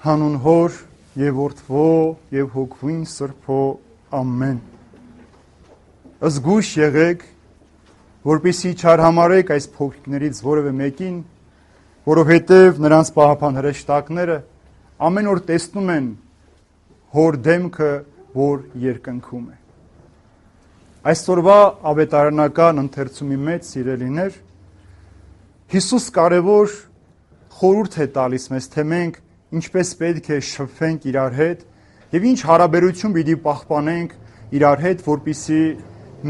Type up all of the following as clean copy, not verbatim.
Հանուն Հոր եւ Որդվո եւ Հոգվին Սրբո ամեն։ Զգույշ եղեք, որպեսզի չարհամարեք այս փոքրիկներից որևէ մեկին, որովհետև նրանց պահապան հրեշտակները ամեն օր տեսնում են Հոր դեմքը, որ երկնքում է։ Այսօրվա ավետարանական ընթերցումի մեջ, սիրելիներ, Հիսուս կարևոր խորհուրդ է տալիս մեզ, թե մենք ինչպես պետք է շփվենք իրար հետ եւ ինչ հարաբերություն պիտի պահպանենք իրար հետ, որպեսզի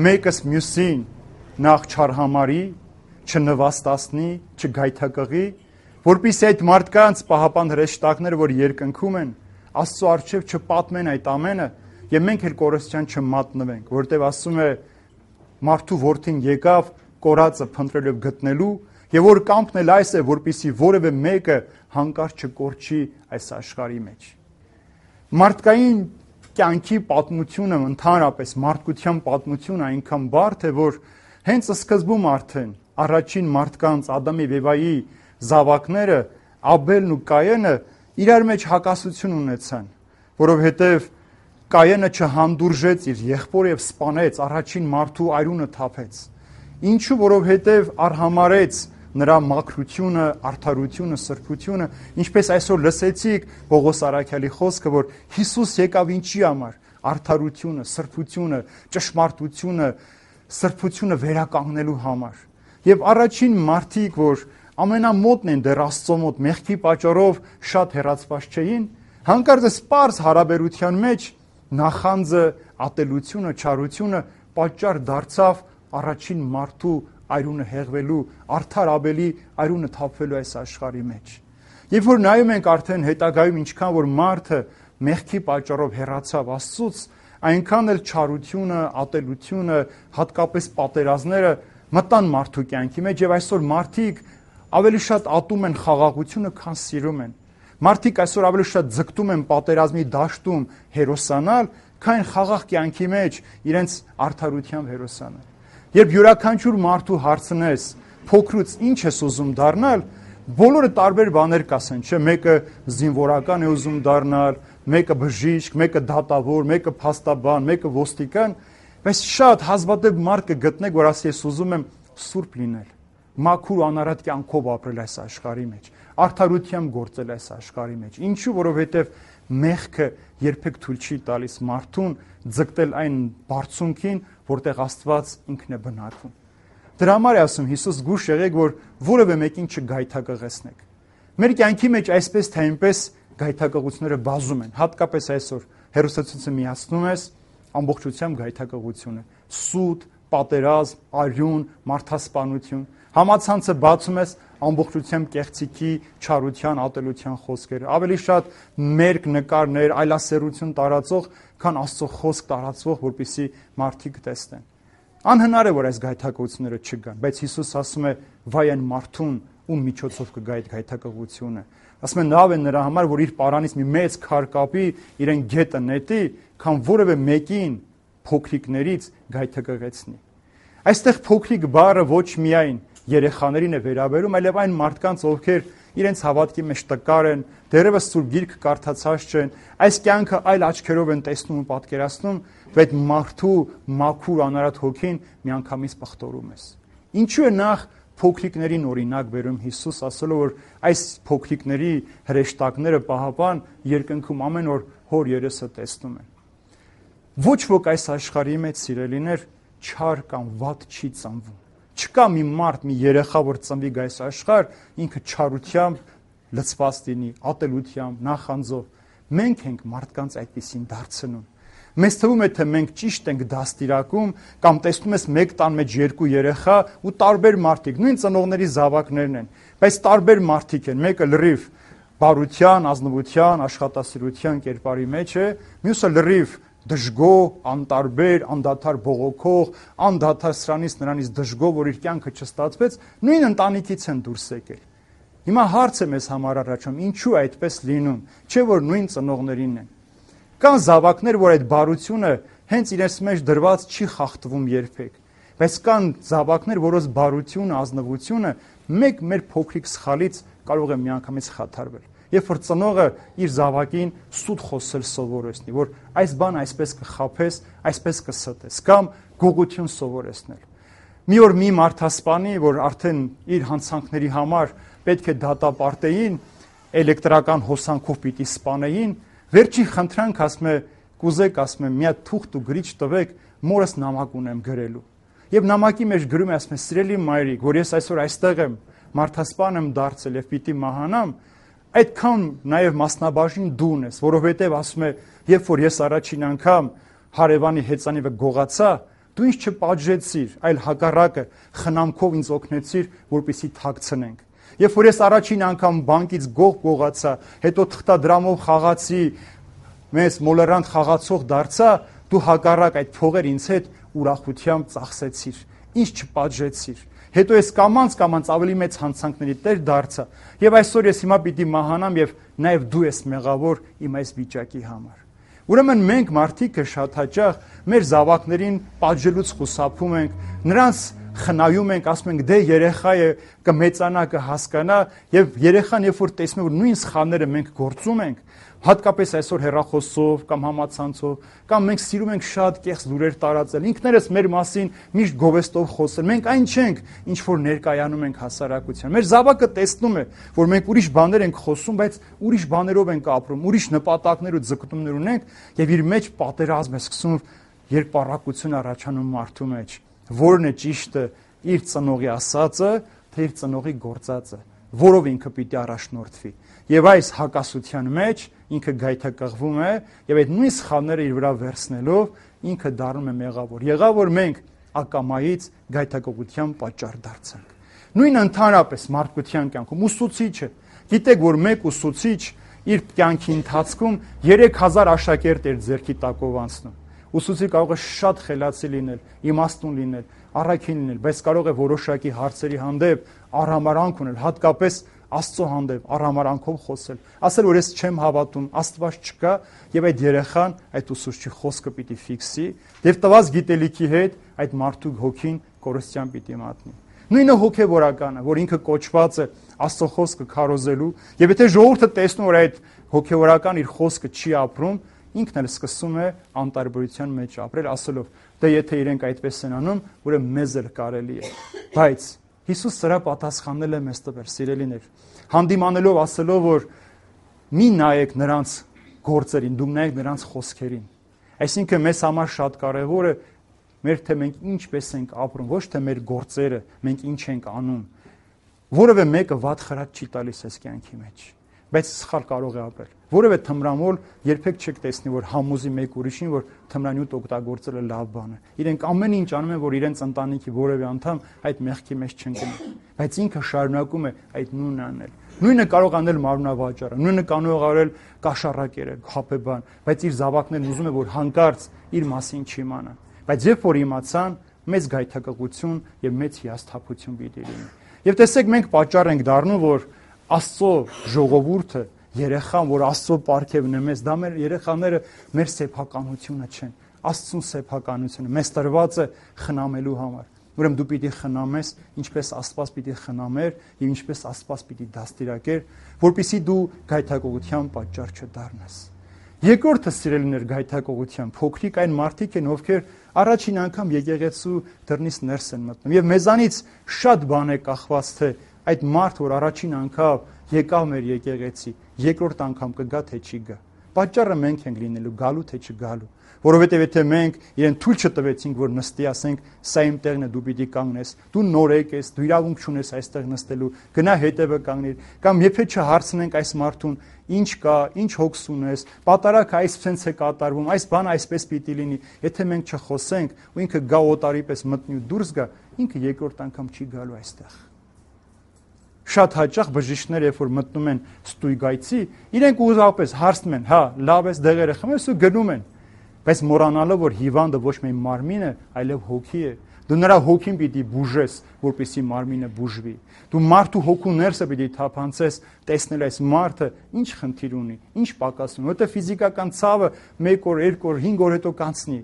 մեկս մյուսին նախ չարհամարի, չնվաստացնի, չգայթակղի, որպեսզի այդ մարդկանց պահապան հրեշտակները, որ երկնքում են, Աստծո առջև չպատմեն այդ ամենը եւ մենք էլ կորստյան չմատնվենք, որտեղ ասում է մարդու որդին եկավ կորածը փնտրելու եւ գտնելու եւ որ կամքն էլ այս է, որպեսզի որևէ մեկը հանկարծ չկորչի այս աշխարհի մեջ։ Մարդկային կյանքի պատմությունը, ընդհանրապես մարդկության պատմությունը այնքան բարդ է, որ հենց սկզբում արդեն առաջին մարդկանց Ադամ եւ Եվայի զավակները Աբելն ու Կայենը իրար մեջ հակասություն ունեցան, որովհետեւ Կայենը չհանդուրժեց իր եղբորը եւ սպանեց, առաջին մարդու արյունը թափեց։ Ինչու, որովհետեւ արհամարեց նրա մաքրությունը, արդարությունը, սրբությունը, ինչպես այսօր լսեցիք Պողոս Արաքյալի խոսքը, որ Հիսուս եկավ ինչի համար, արդարությունը, սրբությունը, ճշմարտությունը, սրբությունը վերականգնելու համար։ Եվ առաջին մարդիկ, որ ամենամոտն են դեռ Աստծո մոտ, մեղքի պատճառով շատ հեռացված չէին, հանկարծ սպարս հարաբերության մեջ նախանձը, ատելությունը, չարությունը պատճառ դարձավ առաջին մարդու արյունը հեղվելու, արդար Աբելի արյունը թափվելու այս աշխարհի մեջ։ Երբ որ նայում ենք արդեն հետագայում ինչքան որ մարդը մեղքի պատճառով հեռացավ Աստծուց, այնքան էլ չարությունը, ատելությունը, հատկապես պատերազմները մտան մարդու կյանքի մեջ եւ այսօր մարդիկ ավելի շատ ատում են խաղաղությունը, քան սիրում են։ Մարդիկ այսօր ավելի շատ ձգտում են պատերազմի դաշտում հերոսանալ, քան խաղաղ կյանքի մեջ իրենց արդարությամբ հերոսանալ։ Երբ յուրաքանչյուր մարդու հարցնես, փոքրուց ինչ ես ուզում դառնալ, բոլորը տարբեր բաներ կասեն, չէ՞, մեկը զինվորական է ուզում դառնալ, մեկը բժիշկ, մեկը դատավոր, մեկը փաստաբան, մեկը ոստիկան, բայց շատ հազվադեպ մարդ կգտնեք, որ ասի ես ուզում եմ սուրբ լինել, մաքուր անարատ կյանքով ապրել այս աշխարհի մեջ, արդարությամբ գործել այս աշխարհի մեջ։ Ինչու, որովհետև մեղքը երբեք թույլ չի տալիս մարդուն ձգտել այն բարձունքին, որտեղ Աստված ինքն է բնակվում։ Դրա համար է ասում Հիսուս զգույշ եղեք, որ որևէ մեկին չգայթակղեցնեք։ Մեր կյանքի մեջ այսպես թե այնպես գայթակղությունները բազում են, հատկապես այսօր հերոսացույցը միացնում ես ամբողջությամբ գայթակղությունը, սուտ, պատերազմ, արյուն, մարդասպանություն, համացանցը բացում ես ամբողջությամբ կեղծիքի, չարության, ատելության խոսքերը, ավելի շատ մերկ նկարներ, այլասերություն տարածող, քան Աստծո խոսք տարածվող, որպեսզի մարդիկ տեսնեն։ Անհնար է, որ այս գայթակղությունները չգան, բայց Հիսուս ասում է՝ վայ այն մարդուն, ում միջոցով կգա այդ գայթակղությունը։ Ասում է լավ է նրա համար, որ իր պարանից մի մեծ քար կապի, իրեն գետը նետի, քան որևէ մեկին փոքրիկներից գայթակղեցնի։ Այստեղ փոքրիկ բառը ոչ միայն երեխաներին է վերաբերում, այլև այն մարդկանց, ովքեր իրենց հավատքի մեջ տկար են, դեռևս Սուրբ Գիրքը կարդացած չեն, այս կյանքը այլ աչքերով են տեսնում ու պատկերացնում, բայց մարդու մաքուր անարատ հոգին միանգամից պղտորում ես։ Ինչու է նախ փոքրիկներին օրինակ բերում Հիսուս, ասելով, որ այս փոքրիկների հրեշտակները պահապան երկնքում ամեն օր Հոր երեսը տեսնում են։ Ոչ ոք այս աշխարհի մեջ, սիրելիներ, չար կամ վատ չի ծնվում։ Չկա մի մարդ, մի երեխա, որ ծնվի գայս աշխարհ, ինքը չարությամբ լցված լինի, ատելությամբ, նախանձով։ Մենք ենք մարդկանց այդպեսին դարձնում։ Մեզ թվում է, թե մենք ճիշտ ենք դաստիարակում, կամ տեսնում ես մեկ տան մեջ երկու երեխա ու տարբեր մարդիկ, նույն ծնողների զավակներն են, բայց տարբեր մարդիկ են, մեկը լրիվ բարության, ազնվության, աշխատասիրության կերպարի մեջ է, մյուսը լրիվ դժգոհ, անտարբեր, անդադար բողոքող, անդադար սրանից նրանից դժգոհ, որ իր կյանքը չստացվեց, նույն ընտանիքից են դուրս եկել։ Հիմա հարց է մեզ համար առաջանում, ինչու այդպես լինում, չէ՞ որ նույն ծնողներինն են։ Կան զավակներ, որ այդ բարությունը հենց իրենց մեջ դրված չի խախտվում երբեք, բայց կան զավակներ, որոնց բարությունը, ազնվությունը մեկ մեր փոքրիկ սխալից կարող է միանգամից խաթարվել։ Երբ որ ծնողը իր զավակին սուտ խոսել սովորեցնի, որ այս բան այսպես կխաբես, այսպես կստես, կամ գողություն սովորեցնել։ Մի օր մի մարդասպանի, որ արդեն իր հանցանքների համար պետք է դատապարտեին, էլեկտրական հոսանքով պիտի սպանեին, վերջին խնդրանք ասում է, կուզեք, ասում է, մի հատ թուղթ ու գրիչ տվեք, մորս նամակ ունեմ գրելու։ Եվ նամակի մեջ գրում է, ասում է, սիրելի մայրիկ, որ ես այսօր այստեղ եմ, մարդասպան եմ դարձել եւ պիտի մահանամ, այդքան նաեւ մասնաբաժին դու ես, որովհետեւ ասում է, երբ որ ես առաջին անգամ հարևանի հեծանիվը գողացա, դու ինձ չպատժեցիր, այլ հակառակը խնամքով ինձ օգնեցիր, որպեսզի թաքցնենք։ Երբ որ ես առաջին անգամ բանկից գողացա, հետո թղթադրամով խաղացի, մեզ մոլորանտ խաղացող դարձա, դու հակառակ այդ փողեր ինձ հետ ուրախությամբ ծախսեցիր, ինձ չպատժեցիր։ Հետո ես կամած ավելի մեծ հանցանքների տեր դարձա, եւ այսօր ես հիմա պիտի մահանամ եւ նաեւ դու ես մեղավոր իմ այս վիճակի համար։ Ուրեմն մենք մարդիկը շատ հաճախ մեր զավակներին պատժելուց խուսափում ենք, նրանց խնայում ենք, ասում ենք դե երեխա է, կմեծանա, կհասկանա, եւ երեխան երբ որ տեսնում է որ նույն սխալները մենք գործում ենք, հատկապես այսօր հեռախոսով կամ համացանցով, կամ մենք սիրում ենք շատ կեղծ լուրեր տարածել, ինքներս մեր մասին միշտ գովեստով խոսել, մենք այն չենք, ինչ որ ներկայանում ենք հասարակության։ Մեր զավակը տեսնում է, որ մենք ուրիշ բաներ ենք խոսում, բայց ուրիշ բաներով ենք ապրում, ուրիշ նպատակներ ու ձգտումներ ունենք, եւ իր մեջ պատերազմ է սկսում, երկպառակություն առաջանում մարդու մեջ։ Որն է ճիշտը, իր ծնողի ասածը, թե իր ծնողի գործածը, որով ինքը պիտի առաջնորդվի։ Եվ այս հակասության մեջ ինքը գայթակղվում է, եւ այդ նույն սխալները իր վրա վերցնելով ինքը դառնում է մեղավոր։ Եղավ որ մենք ակամայից գայթակղության պատճառ դարձանք։ Նույն ընդհանրապես մարդկության կյանքում ուսուցիչը, գիտեք որ մեկ ուսուցիչ իր կյանքի ընթացքում 3000 աշակերտ էր ձեռքի տակով անցնում։ Ուսուցիչ կարող է շատ խելացի լինել, իմաստուն լինել, առաքին լինել, բայց կարող է որոշակի հարցերի հանդեպ արհամարանք ունել, հատկապես Աստծո հանդեպ արհամարանքով խոսել, ասել որ ես չեմ հավատում, Աստված չկա, եւ այդ երեխան այդ ուսուցչի խոսքը պիտի ֆիքսի, եւ տված գիտելիքի հետ այդ մարդու հոգին կորստյան պիտի մատնի։ Նույնը հոգեվորականը, որ ինքը կոչված է Աստծո խոսքը քարոզելու, եւ եթե ժողովուրդը տեսնում որ այդ հոգեվորական իր խոսքը չի ապրում, ինքն էլ սկսում է անտարբերության մեջ ապրել, ասելով, դե եթե իրենք այդպես են անում, ուրեմն մեզ էլ կարելի է։ Բայց Հիսուս սրա պատասխանել է մեզ տվել, սիրելիներ, հանդիմանելով ասելով, որ մի նայեք նրանց գործերին, դուք նայեք նրանց խոսքերին։ Այսինքն մեզ համար շատ կարևոր է մեր թե մենք ինչպես ենք ապրում, ոչ թե մեր գործերը, մենք ինչ ենք անում։ Որևէ մեկը վատ խրատ չի տալիս այս կյանքի մեջ, բայց սխալ կարող է ապրել։ Որևէ թմրամոլ երբեք չեք տեսնի, որ համոզի մեկ ուրիշին, որ թմրանյութ օգտագործելը լավ բան է։ Իրենք ամեն ինչ անում են, որ իրենց ընտանիքի որևէ անդամ այդ մեղքի մեջ չընկնի, բայց ինքը շարունակում է այդ նույնն անել։ Նույնը կարող անել մարմնավաճառը, նույնը կարող արել կաշառակերը, խաբեբան, բայց իր զավակներն ուզում է, որ հանկարծ իր մասին չիմանան։ Բայց երբ որ իմացան, մեծ գայթակղություն եւ մեծ հիասթափություն պիտի լինի։ Եվ տեսեք, մենք պատճառ ենք դառնում, որ Աստծո ժողովուրդը, երեխան, որ Աստծո պարգևն է մեզ, դա մեր երեխաները մեր սեփականությունը չեն, Աստծուն սեփականությունը մեզ տրված է խնամելու համար։ Ուրեմն դու պիտի խնամես, ինչպես Աստված պիտի խնամեր եւ ինչպես Աստված պիտի դաստիարակեր, որpիսի դու գայթակղության պատճառ չդառնաս։ Երկրորդը սիրելիներ գայթակղության փոքրիկ այն մարդիկ են, ովքեր առաջին անգամ եկեղեցու դռնից ներս են մտնում եւ մեզանից շատ բան է կախված թե այդ մարդ, որ առաջին անգամ եկավ մեր եկեղեցի, երկրորդ անգամ կգա թե չի գա։ Պատճառը մենք ենք լինելու, գալու թե չգալու։ Որովհետև եթե մենք իրեն թույլ չտվեցինք, որ նստի, ասենք, սա իմ տեղն է, դու պիտի կանգնես, դու նորեկ ես, դու իրավունք չունես այստեղ նստելու, գնա հետևը կանգնիր, կամ եթե չհարցնենք այս մարդուն, ինչ կա, ինչ հոգս ունես, պատարակը այսպես է կատարվում, այս բանը այսպես պիտի լինի, եթե մենք չխոսենք, ու ինքը գա օտարի պես մտնի ու դուրս գա, ինքը երկրորդ անգամ չի գալու այստեղ։ Շատ հաճախ բժիշկները, երբ որ մտնում են ստույգայցի, իրենք ուղղապես հարցնում են, հա, լավ ես, դեղերը խմես ու գնում են, բայց մոռանալով, որ հիվանդը ոչ միայն մարմին է, այլև հոգի է։ Դու նրա հոգին պիտի բուժես, որպեսզի մարմինը բուժվի։ Դու մարդու հոգու ներսը պիտի թափանցես, տեսնել այս մարդը ինչ խնդիր ունի, ինչ պակաս ունի, որտեղ ֆիզիկական ցավը 1 օր, 2 օր, 5 օր հետո կանցնի,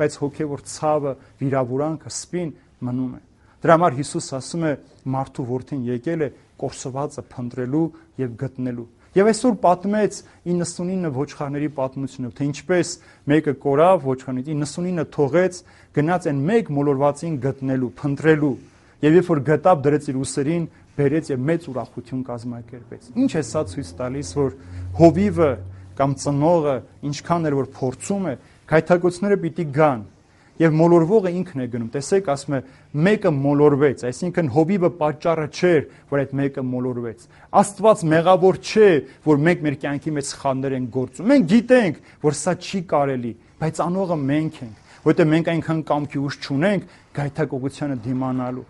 բայց հոգևոր ցավը, վիրավորանքը, սպին մնում է։ Դրա համար Հիսուս ասում է, մարդու որդին եկել է կորսվածը փնտրելու եւ գտնելու։ Եվ այսօր պատմեց 99 ոչխարների պատմությունը, թե ինչպես մեկը կորավ ոչխարներից, 99 թողեց, գնաց այն մեկ մոլորվածին գտնելու, փնտրելու։ Եվ երբ որ գտավ, դրեց իր ուսերին, բերեց եւ մեծ ուրախություն կազմակերպեց։ Ինչ է սա ցույց տալիս, որ հովիվը կամ ծնողը ինչքան էր որ փորձում է, գայթակղությունները պիտի գան։ Եվ մոլորվողը ինքն է գնում։ Տեսեք, ասում է, մեկը մոլորվեց, այսինքն հովիվը պատճառը չէր, որ այդ մեկը մոլորվեց։ Աստված մեղավոր չէ, որ մենք մեր կյանքի մեջ սխալներ ենք գործում։ Մենք գիտենք, որ սա չի կարելի, բայց անողը մենք ենք, որովհետև մենք այնքան կամքի ուժ չունենք գայթակղությանը դիմանալու։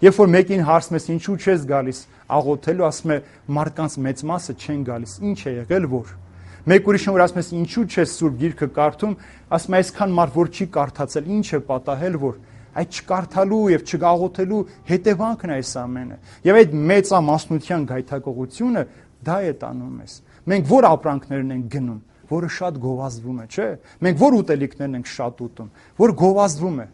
Երբ որ մեկին հարցում ես ինչու չես գալիս աղոթելու, ասում է մարդկանց մեծ մասը չեն գալիս։ Ինչ է եղել որ։ Մեկ ուրիշն որ ասում ես ինչու չես Սուրբ Գիրքը կարդում, ասում է այսքան մարդ որ չի կարդացել, ինչ է պատահել որ այդ չկարդալու եւ չգաղոթելու հետևանքն է այս ամենը։ Եվ այդ մեծամասնության գայթակղությունը դա է տանում մեզ։ Մենք որ ապրանքներն ենք գնում, որը շատ գովազդվում է, չէ՞։ Մենք որ ուտելիքներն ենք շատ ուտում, որ գովազդվում է։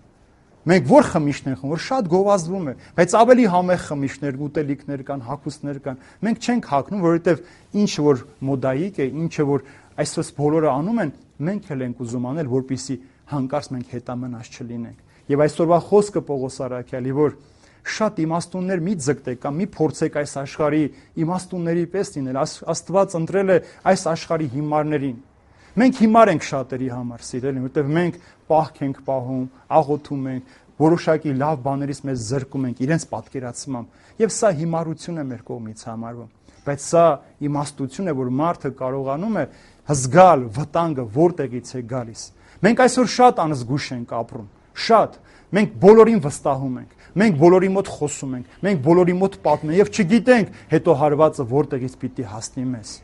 Մենք որ խմիչներ ենք, որ շատ գովազդվում է, բայց ավելի համեղ խմիչներ, ուտելիքներ կան, հագուստներ կան։ Մենք չենք հագնում, որովհետև ինչը որ մոդայիկ է, ինչը որ այսպես բոլորը անում են, մենք էլ ենք ուզում անել, որպեսզի հանկարծ մենք հետամնաց չլինենք։ Եվ այսօրվա խոսքը Պողոս առաքյալի, որ շատ իմաստուններ մի ձգտեք կամ մի փորձեք այս աշխարհի իմաստունների պես լինել, Աստված ընտրել է այս աշխարհի հիմարներին։ Մենք հիմար ենք շատերի համար, սիրելի, որովհետև մենք պահք ենք պահում, աղոթում ենք, որոշակի լավ բաներից մեզ զրկում ենք իրենց պատկերացմամբ, եւ սա հիմարություն է մեր կողմից համարվում։ Բայց սա իմաստություն է, որ մարդը կարողանում է հզգալ վտանգը որտեղից է գալիս։ Մենք այսօր շատ անզգույշ ենք ապրում, շատ։ Մենք բոլորին վստահում ենք, մենք բոլորի մոտ խոսում ենք, մենք բոլորի մոտ պատմում ենք եւ չգիտենք հետո հարվածը որտեղից պիտի հասնի մեզ։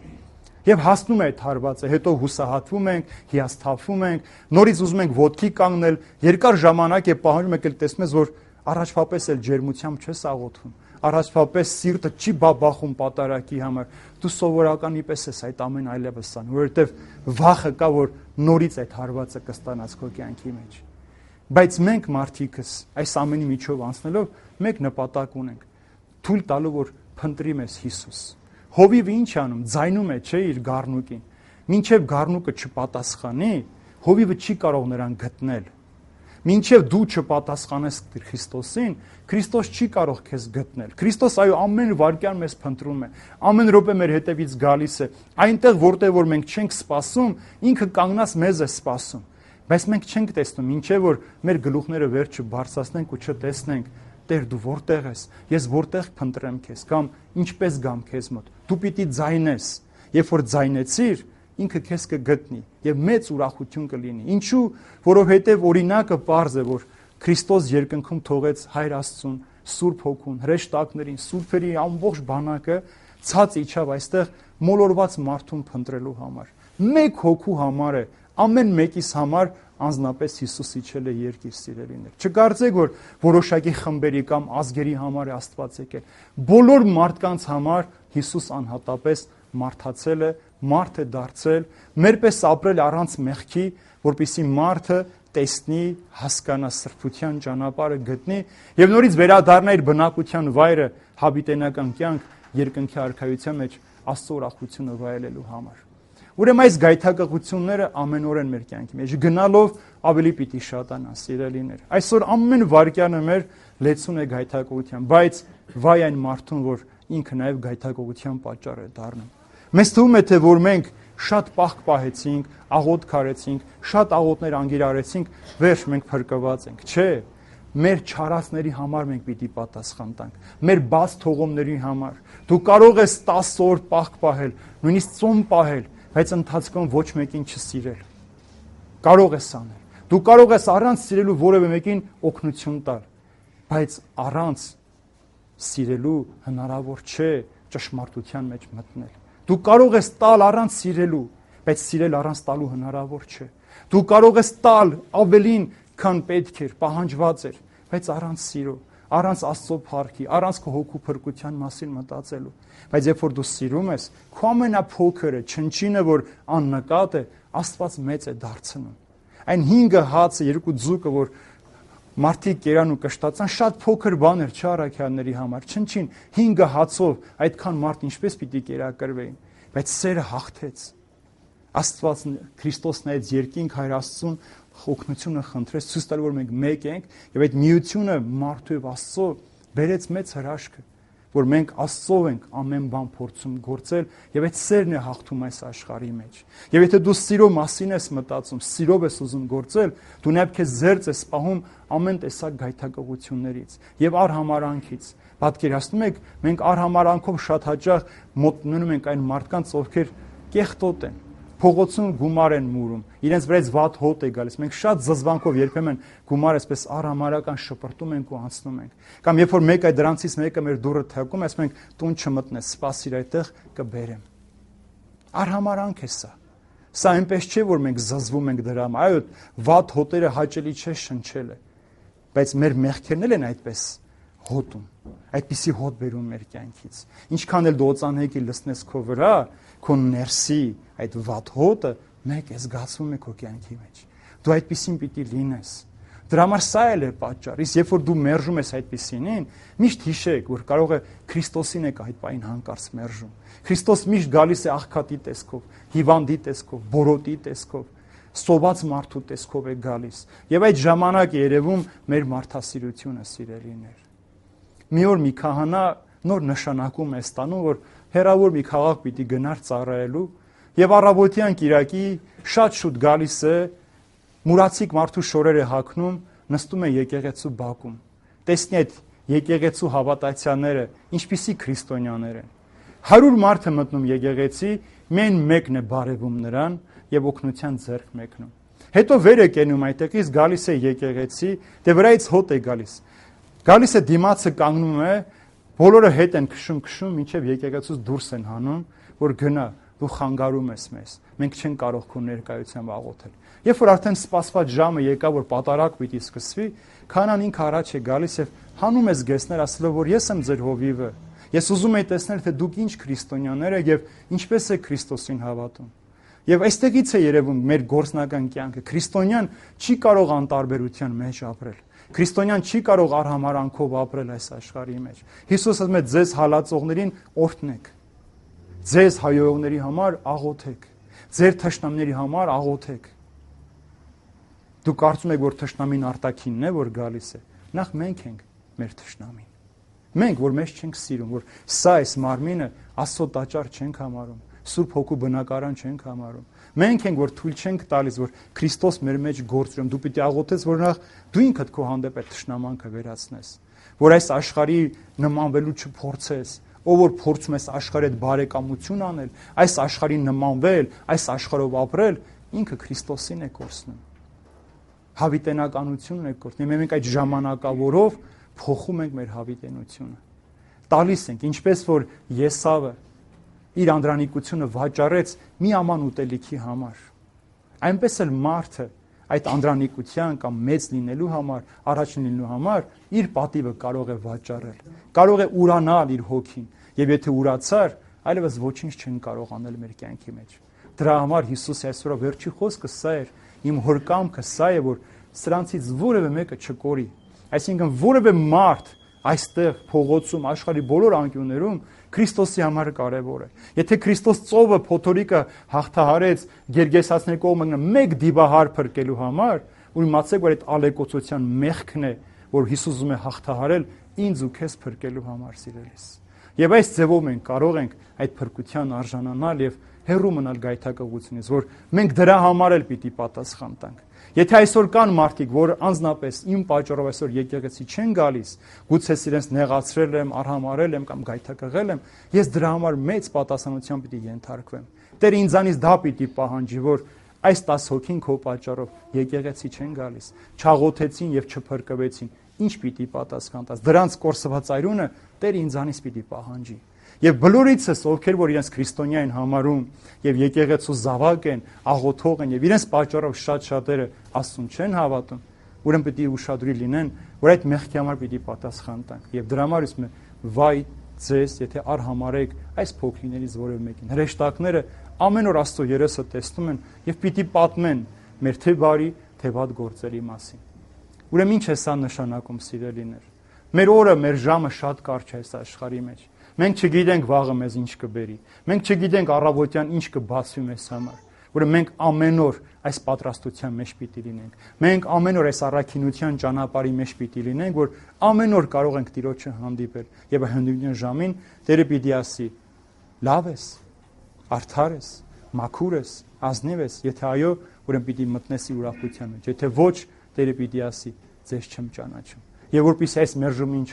Եվ հասնում է այդ հարվածը, հետո հուսահատվում ենք, հիասթափվում ենք, նորից ուզում ենք ոտքի կանգնել, երկար ժամանակ է պահանջում եք տեսնում ես, որ առաջվապես էլ ջերմությամբ չես աղոթում, առաջվապես սիրտը չի բաբախում պատարակի համար, դու սովորականի պես ես այդ ամեն այլևս անում, որովհետև վախը կա, որ նորից այդ հարվածը կստանաս քո կյանքի մեջ։ Բայց մենք մարդիկս այս ամենի միջով անցնելով մեկ նպատակ ունենք՝ թույլ տալու, որ փնտրի մեզ Հիսուս։ Հովիվը ինչ անում, ձայնում է, չէ, իր գառնուկին։ Մինչև գառնուկը չպատասխանի, հովիվը չի կարող նրան գտնել։ Մինչև դու չպատասխանես Քրիստոսին, Քրիստոս չի կարող քեզ գտնել։ Քրիստոս այո ամեն վայրկյան մեզ փնտրում է, ամեն րոպե մեր հետևից գալիս է։ Այնտեղ որտեղ որ մենք չենք սպասում, ինքը կանգնած մեզ է սպասում։ Բայց մենք չենք տեսնում, մինչև որ մեր գլուխները վերջը բարձրացնենք ու չտեսնենք, Տեր դու որտեղ ես, ես որտեղ փնտրեմ քեզ, կամ ինչպես գամ քեզ մոտ։ Դու պիտի ձայնես, երբ որ ձայնեցիր, ինքը քեզ կգտնի եւ մեծ ուրախություն կլինի։ Ինչու? Որովհետեւ օրինակը պարզ է, որ Քրիստոս երկնքում թողեց Հայր Աստծուն, Սուրբ Հոգուն, հրեշտակներին, սուրբերի ամբողջ բանակը ցած իջավ այստեղ մոլորված մարդուն փնտրելու համար։ Մեկ հոգու համար է, ամեն մեկիս համար անձնապես Հիսուս իջել է երկիր, սիրելիներ։ Չկարծեք, որ որոշակի խմբերի կամ ազգերի համար է Աստված եկել։ Բոլոր մարդկանց համար Հիսուս անհատապես մարդացել է, մարդ է դարձել, մերպես ապրել առանց մեղքի, որպեսզի մարդը տեսնի, հասկանա սրբության ճանապարհը գտնի եւ նորից վերադառնա իր բնակության վայրը, հավիտենական կյանք, երկնքի արքայության մեջ Աստծո ուրախությունը վայելելու համար։ Ուրեմն այս գայթակղությունները ամենօրեն մեր կյանքի մեջ գնալով ավելի պիտի շատանան, սիրելիներ։ Այսօր ամեն վայրկյանը մեր լեցուն է գայթակղության, բայց վայ այն մարդուն, որ ինքը նաև գայթակղության պատճառ է դառնում։ Մեզ թվում է, թե որ մենք շատ պահք պահեցինք, աղոթ քարեցինք, շատ աղոթներ անգիր արեցինք, վերջ մենք փրկված ենք։ Չէ, մեր չարացների համար մենք պիտի պատասխան տանք, մեր բաց թողումների համար։ Դու կարող ես 10 օր պահք պահել, նույնիսկ ծոմ պահել, բայց ընթացքում ոչ մեկին չսիրել։ Կարող ես անել։ Դու կարող ես առանց սիրելու որևէ մեկին օգնություն տալ, բայց առանց սիրելու հնարավոր չէ ճշմարտության մեջ մտնել։ Դու կարող ես տալ առանց սիրելու, բայց սիրել առանց տալու հնարավոր չէ։ Դու կարող ես տալ ավելին, քան պետք էր, պահանջված էր, բայց առանց սիրո, առանց Աստծո փառքի, առանց քո հոգու փրկության մասին մտածելու։ Բայց երբ որ դու սիրում ես, քո ամենափոքրը, չնչինը, որ աննկատ է, Աստված մեծ է դարձնում։ Այն 5 հացը, 2 ձուկը, որ մարդիկ կերան ու կշտացան, շատ փոքր բան էր չէ առաքյալների համար, չնչին 5 հացով այդքան մարդ ինչպես պիտի կերակրվեին, բայց սերը հաղթեց։ Աստված Քրիստոսն այդ երկինք Հայր Աստծուն օգնությունը խնդրեց, ցույց տալ որ մենք մեկ ենք, եւ այդ միությունը մարդու եւ Աստծո բերեց մեծ հրաշքը, որ մենք Աստծո ենք ամեն բան փորձում գործել, եւ այդ սերն է հաղթում այս աշխարհի մեջ։ Եվ եթե դու սիրո մասին ես մտածում, սիրով ես ուզում գործել, դու նաև քեզ զերծ ես պահում ամեն տեսակ գայթակղություններից եւ արհամարանքից։ Պատկերացնում եք, մենք արհամարանքով շատ հաճախ մոտնում ենք այն մարդկանց, ովքեր կեղտոտ են, փողոցում գումար են մուրում, իրենց վրայից վատ հոտ է գալիս։ Մենք շատ զզվանքով երբեմն գումար այսպես արհամարական շպրտում ենք ու անցնում ենք։ Կամ երբ որ մեկ այդ դրանցից մեկը մեր դուռը թակում, ասում ենք տուն չմտնես, սպասիր այդտեղ կբերեմ։ Արհամարանք է սա։ Սա այնպես չէ, որ մենք զզվում ենք դրա համար։ Այո, վատ հոտերը հաճելի չէ շնչելը, բայց մեր մեղքերն էլ են այդպես հոտում, այդպիսի հոտ բերում մեր կյանքից։ Ինչքան էլ դու օծանեկի լցնես քո վրա, քո ներսի այդ վատ հոտը մեկ է զգացվում է քո կյանքի մեջ։ Դու այդպիսին պիտի լինես։ Դրա համար սա էլ է պատճառը։ Իսկ երբ որ դու մերժում ես այդպիսինին, միշտ հիշեք, որ կարող է Քրիստոսին եք այդ պայն հանկարծ մերժում։ Քրիստոս միշտ գալիս է աղքատի տեսքով, հիվանդի տեսքով, բորոտի տեսքով, սոված մարդու տեսքով է գալիս։ Եվ այդ ժամանակ երևում մեր մարդասիրությունը, սիրելիներ։ Մի օր մի քահանա նոր նշանակում է ստանում, որ հեռավոր մի քաղաք պիտի գնար ծառայելու, եւ առավոտյան կիրակի շատ շուտ գալիս է, մուրացիկ մարդու շորերը հագնում, նստում է եկեղեցու բակում։ Տեսնի այդ եկեղեցու հավատացյալները ինչպիսի քրիստոնյաներ են։ 100 մարդ է մտնում եկեղեցի, մեն մեկն է բարևում նրան եւ օգնության ձեռք մեկնում։ Հետո վեր է կենում այդտեղից, գալիս է եկեղեցի, դե վրայից հոտ է գալիս։ Գալիս է դիմացը կանգնում է, բոլորը հետ են քշում, մինչև եկեղեցուց դուրս են հանում, որ գնա, դու խանգարում ես մեզ, մենք չենք կարող քո ներկայությամբ աղոթել։ Երբ որ արդեն սպասված ժամը եկավ, որ պատարակ պիտի սկսվի, քահանան ինքը առաջ է գալիս եւ հանում է զգեստներ, ասելով, որ ես եմ ձեր հովիվը։ Ես ուզում եի տեսնել, թե դուք ինչ քրիստոնյաներ եք եւ ինչպես եք Քրիստոսին հավատում։ Եվ այստեղից է երևում մեր գործնական կյանքը։ Քրիստոնյան չի կարող անտարբերության մեջ ապրել։ Քրիստոնյան չի կարող արհամարանքով ապրել այս աշխարհի մեջ։ Հիսուսը ասում է ձեզ հալածողներին օրհնեք։ Ձեզ հայոյողների համար աղոթեք։ Ձեր թշնամիների համար աղոթեք։ Դու կարծում եք, որ թշնամին արտաքինն է, որ գալիս է։ Նախ մենք ենք մեր թշնամին։ Մենք, որ մեզ չենք սիրում, որ սա այս մարմինը Աստծո տաճար չենք համարում, Սուրբ Հոգու բնակարան չենք համարում։ Մենք ենք, որ թույլ չենք տալիս, որ Քրիստոս մեր մեջ գործում։ Դու պիտի աղոթես, որ նախ դու ինքդ քո հանդեպ այդ թշնամանքը վերացնես, որ այս աշխարհի նմանվելու չփորձես, ով որ փորձում ես աշխարհի հետ բարեկամություն անել, այս աշխարհին նմանվել, այս աշխարհով ապրել, ինքը Քրիստոսին է կորցնում։ Հավիտենականությունն է կորցնում։ Մենք այդ ժամանակավորով փոխում ենք մեր հավիտենությունը։ Տալիս ենք, ինչպես որ Եսավը իր անդրանիկությունը վաճառեց մի աման ուտելիքի համար։ Այնպես էլ մարդը այդ անդրանիկության կամ մեծ լինելու համար, առաջ լինելու համար իր պատիվը կարող է վաճառել, կարող է ուրանալ իր հոգին, եւ եթե ուրացար, այլևս ոչինչ չեն կարող անել մեր կյանքի մեջ։ Դրա համար Հիսուսի այսօր վերջի խոսքը սա էր, իմ հոր կամքը սա է, որ սրանցից որևէ մեկը չկորի։ Այսինքն որևէ մարդ այստեղ փողոցում, աշխարհի բոլոր անկյուններում Քրիստոսի համար կարևոր է։ Եթե Քրիստոս ծովը փոթորիկը հաղթահարեց Գերգեսացիների կողմը մեկ դիվահար փրկելու համար, ու իմացեք, որ այդ ալեկոծության մեղքն է, որ Հիսուս ուզում է հաղթահարել ինձ ու քեզ փրկելու համար, սիրելիս։ Եվ այս ձևով մենք կարող ենք այդ փրկության արժանանալ եւ հեռու մնալ գայթակղությունից, որ մենք դրա համար էլ պիտի պատասխան տանք։ Եթե այսօր կան մարդիկ, որ անձնապես իմ պատճառով այսօր եկեղեցի չեն գալիս, գուցե իրենց նեղացրել եմ, արհամարել եմ կամ գայթակղել եմ, ես դրա համար մեծ պատասխանատվության պիտի ենթարկվեմ։ Տերը ինձանից դա պիտի պահանջի, որ այս 10 հոգին քո պատճառով եկեղեցի չեն գալիս, չաղոթեցին եւ չփրկվեցին, ինչ պիտի պատասխան տաս։ Դրանց կորսված այրունը Տերը ինձանից պիտի պահանջի։ Եվ բոլորիցս, ովքեր որ իրենց քրիստոնյա են համարում եւ եկեղեցու զավակ են, աղոթող են եւ իրենց պատճառով շատ-շատերը Աստծուն չեն հավատում, ուրեմն պիտի ուշադրի լինեն, որ այդ մեղքի համար պիտի պատասխան տանք։ Եվ դրա համար ասում եմ, վայ ձեզ, եթե արհամարեք այս փոքրիներից որևէ մեկին։ Հրեշտակները ամեն օր Աստծո երեսը տեսնում են եւ պիտի պատմեն մեր թե բարի, թե վատ գործերի մասին։ Ուրեմն ինչ է սա նշանակում, սիրելիներ։ Մեր օրը, մեր ժամը շատ կարճ է այս աշխարհի մեջ։ Մենք չգիտենք վաղը մեզ ինչ կբերի։ Մենք չգիտենք առավոտյան ինչ կբացվի մեզ համար։ Ուրեմն մենք ամեն օր այս պատրաստության մեջ պիտի լինենք։ Մենք ամեն օր այս առաքինության ճանապարհի մեջ պիտի լինենք, որ ամեն օր կարող ենք Տիրոջը հանդիպել։ Եվ հանդիպության ժամին Տերը պիտի ասի. լավ ես, արդար ես, մաքուր ես, ազնիվ ես, եթե այո, ուրեմն պիտի մտնես ուրախության մեջ, եթե ոչ, Տերը պիտի ասի, ձեզ չեմ ճանաչում։ Եվ որպեսզի այս մերժումին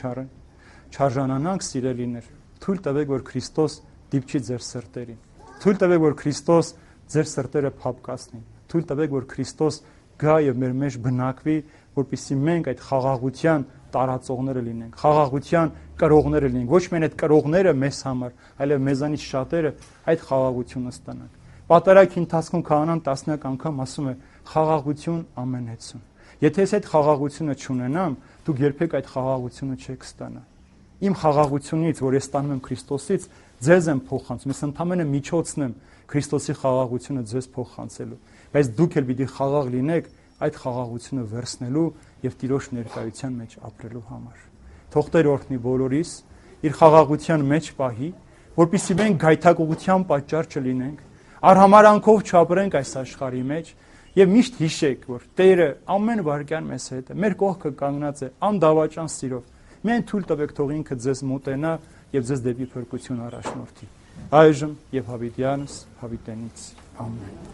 չարժանանանք, սիրելիներ, թույլ տվեք, որ Քրիստոս դիպչի ձեր սրտերին։ Թույլ տվեք, որ Քրիստոս ձեր սրտերը փափկացնի։ Թույլ տվեք, որ Քրիստոս գա եւ մեր մեջ բնակվի, որպեսզի մենք այդ խաղաղության տարածողները լինենք, խաղաղության կրողները լինենք։ Ոչ միայն այդ կրողները մեզ համար, այլև մեզանից շատերը այդ խաղաղությունը ստանանք։ Պատարագի ընթացքում քահանան տասնյակ անգամ ասում է խաղաղություն ամենեցուն։ Եթե ես այդ խաղաղությունը չունենամ, դուք երբեք այդ խաղաղությունը չեք ստանա։ Իմ խաղաղությունից, որ ես ստանում եմ Քրիստոսից, ձեզ եմ փոխանցում։ Ես ընդամենը միջոցն եմ Քրիստոսի խաղաղությունը ձեզ փոխանցելու։ Բայց դուք էլ պիտի խաղաղ լինեք այդ խաղաղությունը վերցնելու եւ Տիրոջ ներկայության մեջ ապրելու համար։ Թող Տեր օրհնի բոլորիս, իր խաղաղության մեջ պահի, որպեսզի մենք գայթակղության պատճառ չլինենք, արհամարանքով չապրենք այս աշխարհի մեջ եւ միշտ հիշեք, որ Տերը ամեն վայրկյան մեզ հետ է, մեր կողքը կանգնած է անդավաճան սիրով։ Միայն թույլ տվեք, թող ինքը ձեզ մոտենա եւ ձեզ դեպի փրկություն առաջնորդի։ Այժմ եւ հավիտյանս հավիտենից ամեն։